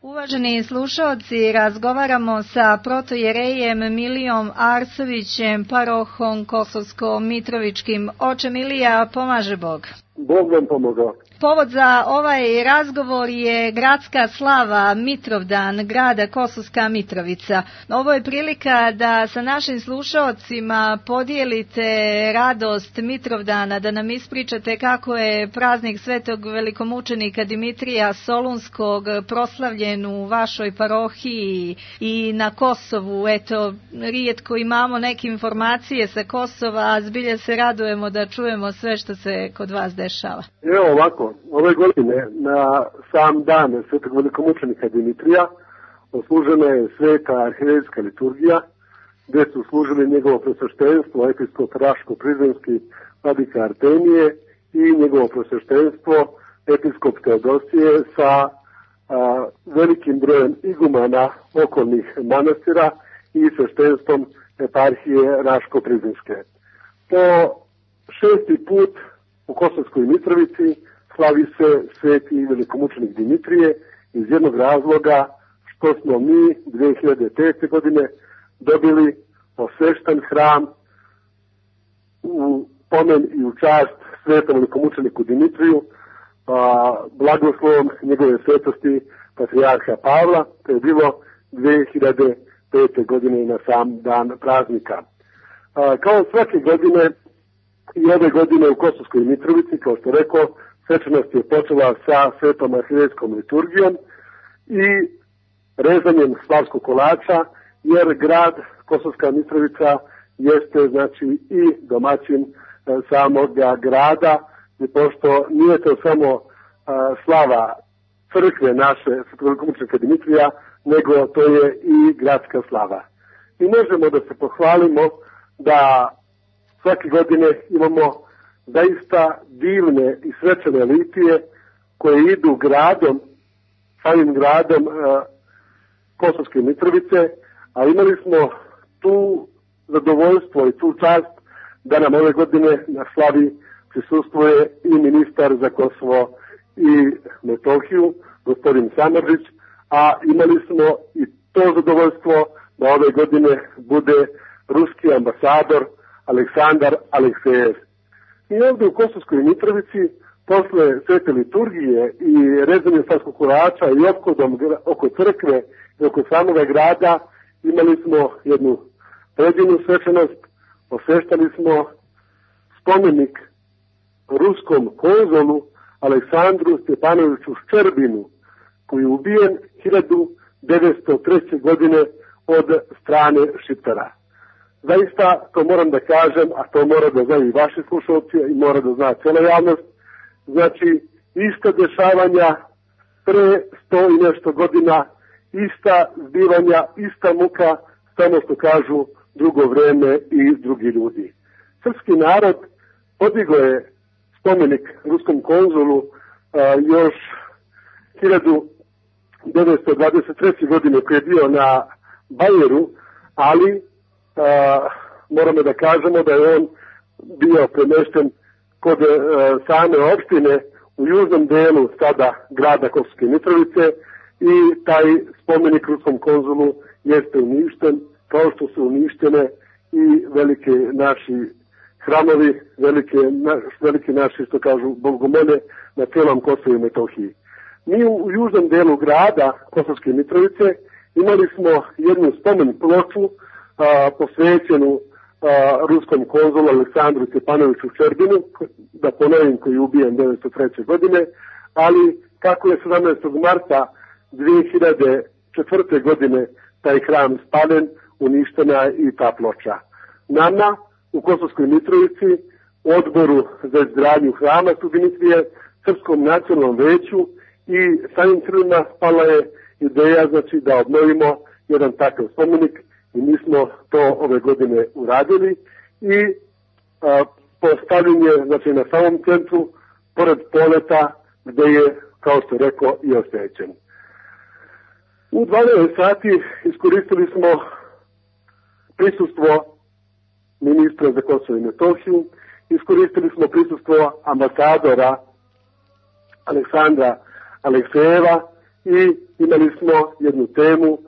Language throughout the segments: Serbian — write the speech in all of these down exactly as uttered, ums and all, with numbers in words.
Uvaženi slušaoci, razgovaramo sa protojerejem Milijom Arsovićem, parohom Kosovsko-Mitrovičkim. Oče Milija, pomaže Bog. Bog vam pomogao. Povod za ovaj razgovor je gradska slava Mitrovdan grada Kosovska Mitrovica. Ovo je prilika da sa našim slušaocima podijelite radost Mitrovdana, da nam ispričate kako je praznik svetog velikomučenika Dimitrija Solunskog proslavljen u vašoj parohiji i na Kosovu. Eto, rijetko imamo neke informacije sa Kosova, a zbilja se radujemo da čujemo sve što se kod vas dešava. Evo ovako. Ove godine, na sam dan svetog velikomučenika Dimitrija, oslužena je sveta arhirejska liturgija, gdje su služili njegovo presveštenstvo, episkop Raško-Prizrenski vladika Artemije i njegovo presveštenstvo, episkop Teodosije sa a, velikim brojem igumana okolnih manastira i sveštenstvom eparhije Raško-Prizrenske. Po šesti put u Kosovskoj Mitrovici slavi se sveti velikomučenik Dimitrije iz jednog razloga što smo mi dve hiljade pete. godine dobili osvešten hram u pomen i u čast svetom velikomučeniku Dimitriju, a, blagoslovom njegove svetosti patrijarha Pavla. To je bilo dve hiljade pete. godine na sam dan praznika. A, kao svake godine i ove godine u Kosovskoj Mitrovici, kao što rekao, svečanost je počela sa svetom arhirejskom liturgijom i rezanjem slavskog kolača, jer grad Kosovska Mitrovica jeste znači i domaćin e, samog grada, i pošto nije to samo e, slava crkve naše svetog velikomučenika Dimitrija, nego to je i gradska slava. I možemo da se pohvalimo da svake godine imamo zaista divne i svečane litije koje idu gradom, samim gradom e, Kosovske Mitrovice, a imali smo tu zadovoljstvo i tu čast da nam ove godine na slavi prisustvuje i ministar za Kosovo i Metohiju, gospodin Samardžić, a imali smo i to zadovoljstvo da ove godine bude ruski ambasador Aleksandar Aleksejev. I ovdje u Kosovskoj Mitrovici, posle svete liturgije i rezanja slavskog kolača i ophodom oko crkve i oko samoga grada, imali smo jednu predivnu svečanost, osveštali smo spomenik ruskom konzulu Aleksandru Stjepanoviću Ščerbinu, koji je ubijen hiljadu devetsto treće. godine od strane Šiptara. Zaista, to moram da kažem, a to mora da znaju i vaši slušalci i mora da zna cijela javnost, znači ista dešavanja pre sto i nešto godina, ista zbivanja, ista muka, samo što kažu drugo vreme i drugi ljudi. Srpski narod podigao je spomenik ruskom konzulu a, još hiljadu devetsto dvadeset treće. godine koji je bio na Bajeru, ali Uh, moramo da kažemo da je on bio premešten kod uh, same opštine u južnom delu sada grada Kosovske Mitrovice i taj spomenik ruskom konzulu jeste uništen, kao što su uništene i velike naši hramovi, velike, na, velike naši, što kažu, bogomolje na cijelom Kosovu i Metohiji. Mi u, u južnom delu grada Kosovske Mitrovice imali smo jednu spomen ploču A, posvećenu a, ruskom konzulu Aleksandru Stjepanoviću Ščerbinu, da ponovim, koji je ubijen devetsto treće. godine, ali kako je sedamnaestog marta dve hiljade četvrte. godine taj hram spaljen, uništena je i ta ploča. Nama u Kosovskoj Mitrovici, odboru za izgradnju hrama Dimitrije, Srpskom nacionalnom veću i samim Crvima spala je ideja, znači, da obnovimo jedan takav spomenik. I mi smo to ove godine uradili i a, postavljen je, znači, na samom centru, pored poleta, gde je, kao što rekao, i osvećen. U dvanaest sati iskoristili smo prisustvo ministra za Kosovo i Metohiju, iskoristili smo prisustvo ambasadora Aleksandra Aleksejeva i imali smo jednu temu,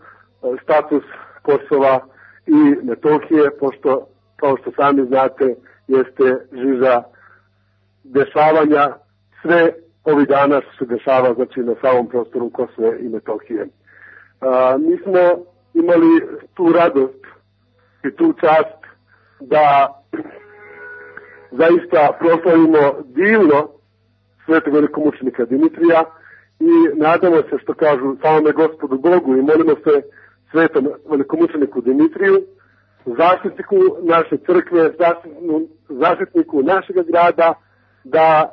status Kosova i Metohije, pošto, kao što sami znate, jeste žiža dešavanja sve ovih dana što se dešava, znači na samom prostoru Kosova i Metohije. A, mi smo imali tu radost i tu čast da zaista proslavimo divno svetog velikomučenika Dimitrija i nadamo se, što kažu, samome Gospodu Bogu, i molimo se svetom velikomučeniku Dimitriju, zaštitniku naše crkve, zaštitniku našeg grada, da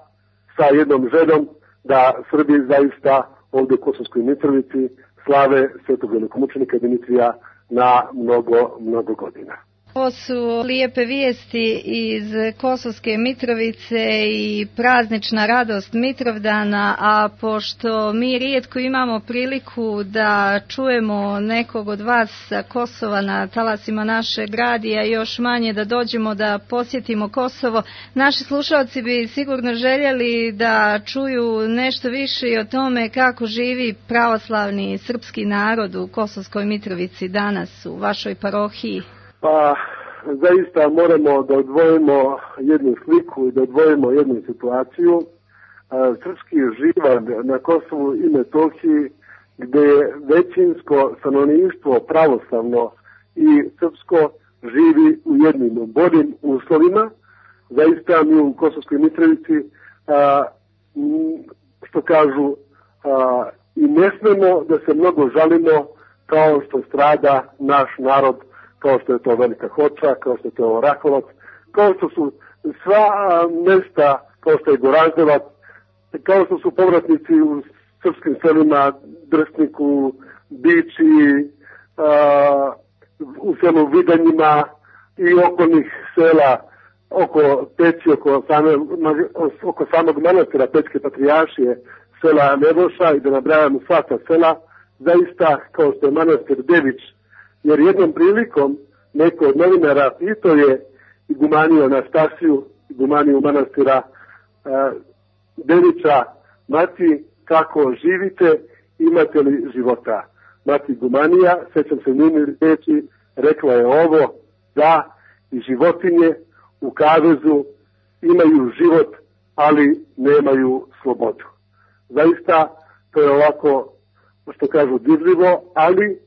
sa jednom željom da Srbi zaista ovdje u Kosovskoj Mitrovici slave svetog velikomučenika Dimitrija na mnogo, mnogo godina. Ovo su lijepe vijesti iz Kosovske Mitrovice i praznična radost Mitrovdana, a pošto mi rijetko imamo priliku da čujemo nekog od vas sa Kosova na talasima našeg radija, još manje da dođemo da posjetimo Kosovo, naši slušalci bi sigurno željeli da čuju nešto više i o tome kako živi pravoslavni srpski narod u Kosovskoj Mitrovici danas u vašoj parohiji. Pa, zaista moramo da odvojimo jednu sliku i da odvojimo jednu situaciju. Srpski živalj na Kosovu i Metohiji, gdje je većinsko stanovništvo pravoslavno i srpsko živi u jednim boljim uslovima. Zaista mi u Kosovskoj Mitrovici, što kažu, i ne smemo da se mnogo žalimo kao što strada naš narod, kao što je to Velika Hoča, kao što je to Orahovac, kao što su sva mesta, kao što je Goraždevac, kao što su povratnici u srpskim selima, Drsniku, Biči, a, u selu Vidanjima i okolnih sela, oko Peći, oko, same, oko samog manastira Pećke patrijaršije, sela Nevoša, i da nabrajamo sva ta sela, zaista kao što je manastir Dević, jer jednom prilikom neko od novinara pitao je igumaniju Anastasiju, igumaniju manastira uh, Devića, mati, kako živite, imate li života? Mati igumanija, sećam se njeni reči, rekla je ovo, da i životinje u kavezu imaju život, ali nemaju slobodu. Zaista, to je ovako, što kažu, dirljivo, ali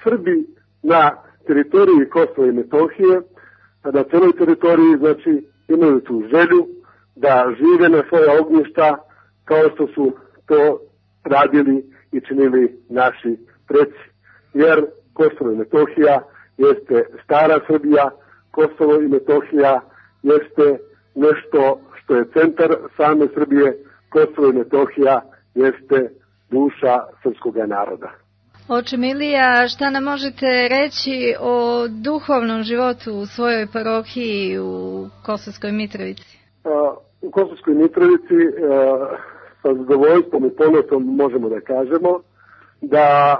Srbi na teritoriji Kosova i Metohije, na celoj teritoriji, znači, imaju tu želju da žive na svoja ognjišta kao što su to radili i činili naši preci. Jer Kosovo i Metohija jeste stara Srbija, Kosovo i Metohija jeste nešto što je centar same Srbije, Kosovo i Metohija jeste duša srpskog naroda. Oče Milija, šta nam možete reći o duhovnom životu u svojoj parohiji u Kosovskoj Mitrovici? U Kosovskoj Mitrovici sa zadovoljstvom i ponosom možemo da kažemo da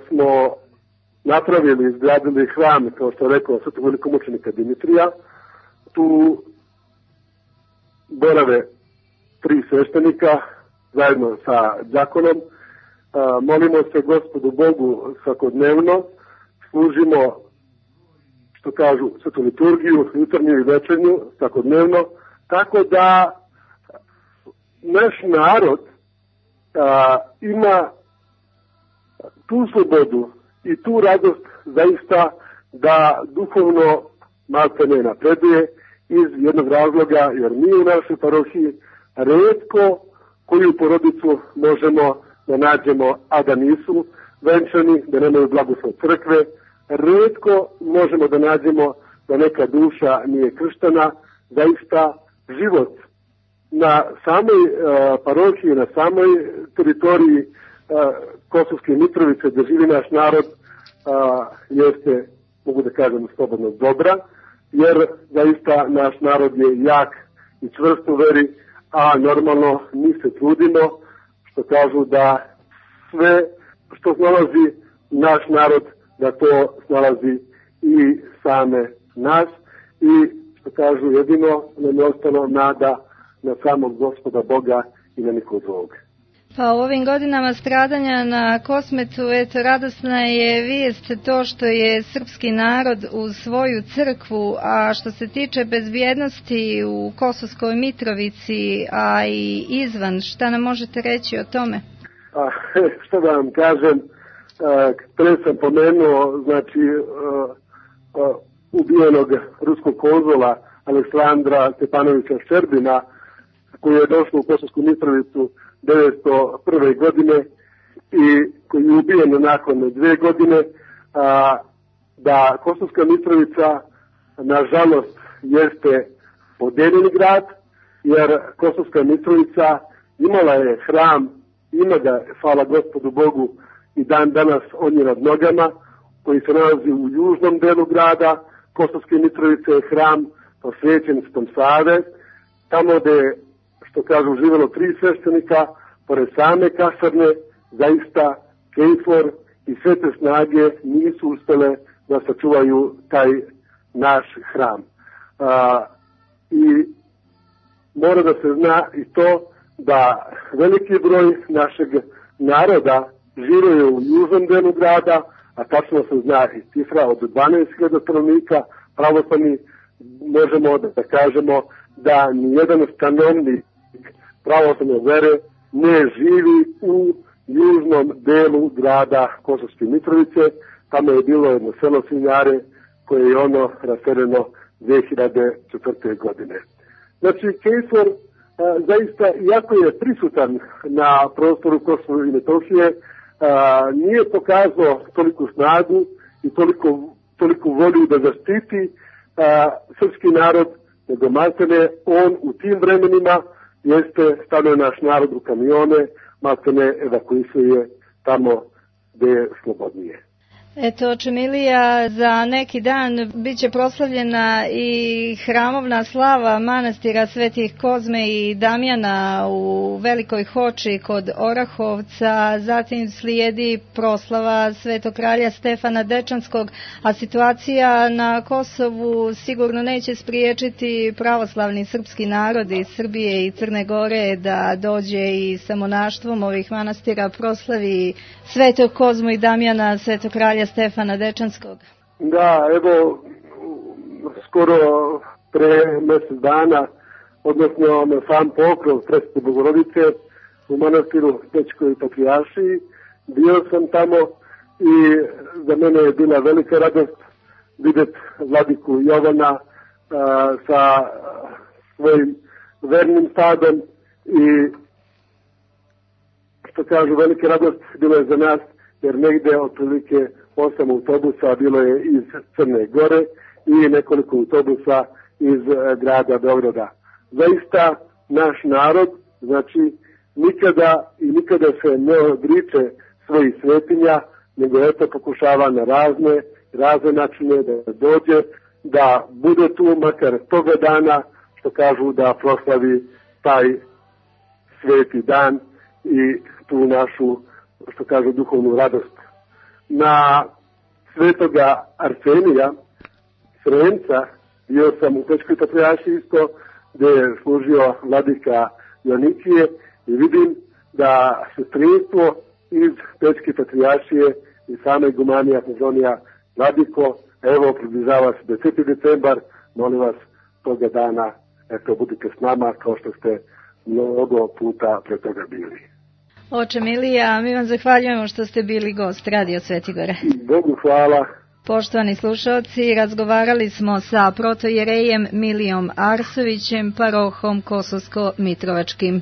smo napravili, izgradili hram, kao što je rekao svetog velikomučenika Dimitrija. Tu borave tri sveštenika zajedno sa đakonom. Molimo se Gospodu Bogu svakodnevno, služimo, što kažu, svetu liturgiju, jutarnju i večernju, svakodnevno, tako da naš narod a, ima tu slobodu i tu radost zaista da duhovno malce ne napreduje iz jednog razloga, jer mi u našoj parohiji retko koju porodicu možemo da nađemo, a da nisu venčani, da nemaju blagoslov crkve. Retko možemo da nađemo da neka duša nije krštana. Zaista život na samoj uh, parohiji, na samoj teritoriji uh, Kosovske Mitrovice, gdje živi naš narod, uh, jeste, mogu da kažem, slobodno dobra, jer zaista naš narod je jak i čvrst u veri, a normalno mi se trudimo, što kažu, da sve što snalazi naš narod, da to snalazi i same nas, i što kažu, jedino nam je ostalo nada na samog Gospoda Boga i na nikog drugog. Pa u ovim godinama stradanja na Kosmetu, eto, radosna je vijest to što je srpski narod uz svoju crkvu, a što se tiče bezbjednosti u Kosovskoj Mitrovici, a i izvan, šta nam možete reći o tome? A, što da vam kažem, pre sam pomenuo, znači, ubijenog ruskog konzula Aleksandra Stepanovića Ščerbina, koji je došao u Kosovsku Mitrovicu devetsto prve godine i koji je ubijen nakon dve godine, a, da Kosovska Mitrovica nažalost jeste podeljeni grad, jer Kosovska Mitrovica imala je hram, ima ga, hvala Gospodu Bogu, i dan danas on je nad nogama, koji se nalazi u južnom delu grada Kosovske Mitrovice, je hram posvećen Svetom Save, tamo gde, što kažu, živjelo tri sveštenika, pored same kasarne, zaista KFOR i sve te snage nisu uspjele da sačuvaju taj naš hram. A, I mora da se zna i to da veliki broj našeg naroda živio u južnom delu grada, a tačno se zna i cifra od dvanaest hiljada stanovnika, pravoslavni, možemo da kažemo da nijedan stanovnik pravoslavne vere ne živi u južnom delu grada Kosovske Mitrovice. Tamo je bilo jedno selo Svinjare koje je ono raseljeno dve hiljade četvrte. godine. Znači, KFOR zaista, iako je prisutan na prostoru Kosova i Metohije, a, nije pokazao toliku snagu i toliko, toliku volju da zaštiti a, srpski narod, nego maltene on u tim vremenima jeste stavio naš narod u kamione, maltene evakuisuje tamo gde je slobodnije. Eto, oče Milija, za neki dan bit će proslavljena i hramovna slava manastira Svetih Kozme i Damjana u Velikoj Hoči kod Orahovca, zatim slijedi proslava Svetog kralja Stefana Dečanskog, a situacija na Kosovu sigurno neće spriječiti pravoslavni srpski narod iz Srbije i Crne Gore da dođe i sa monaštvom ovih manastira proslavi Svetog Kozmu i Damjana, Svetog kralja Stefana Dečanskog. Da, evo, skoro pre mjesec dana, odnosno na sam pokrov Presvete Bogorodice u manastiru Pećkoj Patrijaršiji, bio sam tamo i za mene je bila velika radost vidjeti vladiku Jovana a, sa svojim vernim stadom i, što kažu, velika radost bilo je za nas, jer negde otprilike osam autobusa bilo je iz Crne Gore i nekoliko autobusa iz e, grada Beograda. Zaista naš narod, znači, nikada i nikada se ne odriče svojih svetinja, nego eto pokušava na razne, razne načine da dođe, da bude tu makar toga dana, što kažu, da proslavi taj sveti dan i tu našu, što kažu, duhovnu radost. Na Svetoga Arsenija, Sremca, bio sam u Pećkoj Patrijaršiji isto, gdje je služio vladika Joanikije i vidim da sestrinstvo iz Pećke Patrijaršije i same igumanija Antazonija Vladiko, evo, približava se deseti decembar, molim vas, toga dana, eto, budite s nama kao što ste mnogo puta pre toga bili. Oče Milija, mi vam zahvaljujemo što ste bili gost Radio Svetigore. Bogu hvala. Poštovani slušalci, razgovarali smo sa protojerejem Milijom Arsovićem, parohom Kosovsko-Mitrovačkim.